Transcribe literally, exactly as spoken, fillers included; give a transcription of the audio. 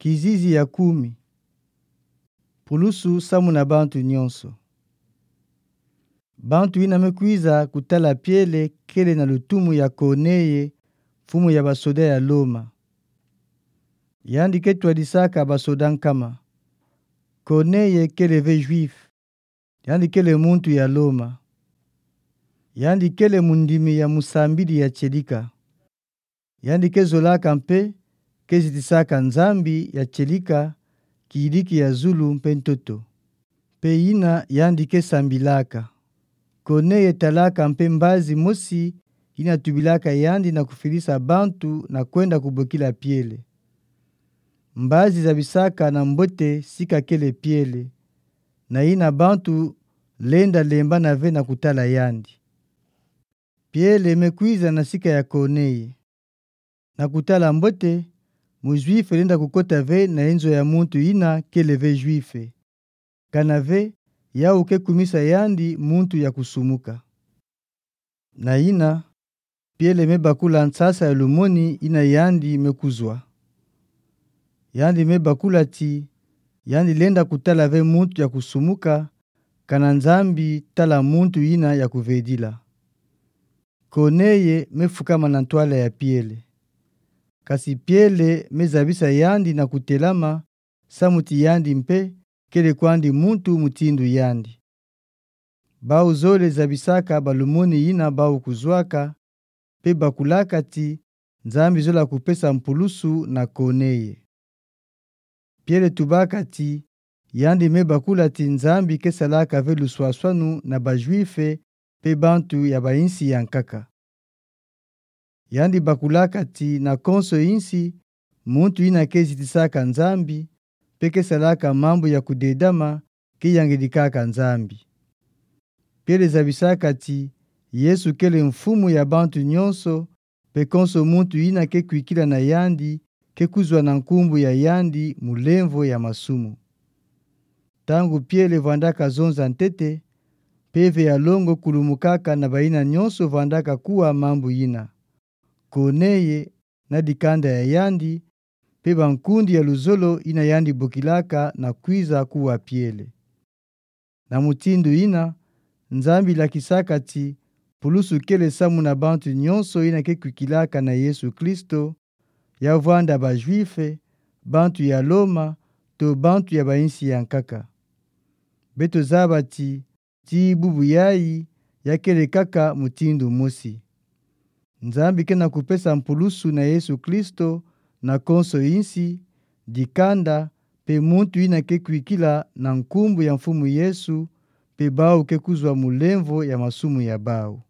Kizizi ya kumi. Pulusu samu na bantu nyonso. Bantu yina me kwiza kutala Piele kele na lutumu ya Korneye, mfumu ya basoda ya Loma. Yandi ke twadisaka basoda nkama. Korneye kele ve Juif. Yandi kele muntu ya Loma. Yandi kele mundimi ya musambidi ya tielika. Yandi ke zolaka mpe ke zitisaka Nzambi ya tielika, kiyidiki ya zulu mpe ntoto. Mpe yina yandi ke sambilaka. Korneye talaka mpe mbazi mosi yina tubilaka yandi na kufidisa bantu na kwenda kubokila Piele. Mbazi zabisaka na mbote sika kele Piele, na yina bantu lenda lembana ve na kutala yandi. Piele me kwiza na sika ya Korneye. Na kutala mbote, mu-Juif lenda kukota ve na inzo ya muntu yina kele ve Juif. Kana ve, yau ke kumisa yandi muntu ya kusumuka. Na yina, Piele me bakula nsasa ya lumoni yina yandi me kuzwa. Yandi me bakula ti, yandi lenda kutala ve muntu ya kusumuka, kana Nzambi tala muntu yina ya kuvedila. Korneye me fukama na ntwala ya Piele. Kasi Piele me zabisa yandi na kutelama, samu ti yandi mpe kele kwandi muntu mutindu yandi. Bau zole zabisaka balumoni yina bau kuzwaka, mpe bakulaka ti, Nzambi zola kupesa mpulusu na Korneye. Piele tubaka ti, yandi me bakula ti Nzambi ke salaka ve luswaswanu na ba-Juif mpe bantu ya ba-insi ya nkaka. Yandi bakulaka ti na konso insi, muntu yina ke zitisaka Nzambi, mpe ke salaka mambu ya kudedama, ke yangidikaka Nzambi. Piele zabisaka ti, Yesu kele mfumu ya bantu nyonso, mpe konso muntu yina ke kwikila na yandi, ke kuzwa na nkumbu ya yandi mulemvo ya masumu. Ntangu Piele vwandaka zonza ntete, mpeve ya longo kulumukaka na bayina nyonso vwandaka kuwa mambu yina. Korneye, na dikanda ya yandi, mpe bankundi ya luzolo yina yandi bokilaka na kwiza kuwa Piele. Na mutindu yina, Nzambi lakisaka ti, pulusu kele samu na bantu nyonso yina ke kwikilaka na Yesu Kristo, ya vwanda ba-Juif, bantu ya Loma, to bantu ya ba-insi ya nkaka. Beto zaba ti, ti bubu yayi, ya kele kaka mutindu mosi. Nzambi ke na kupesa mpulusu na Yesu Kristo, na konso insi, dikanda, mpe muntu yina ke kwikila na nkumbu ya Mfumu Yesu, mpe bau ke kuzwa mulemvo ya masumu ya bau.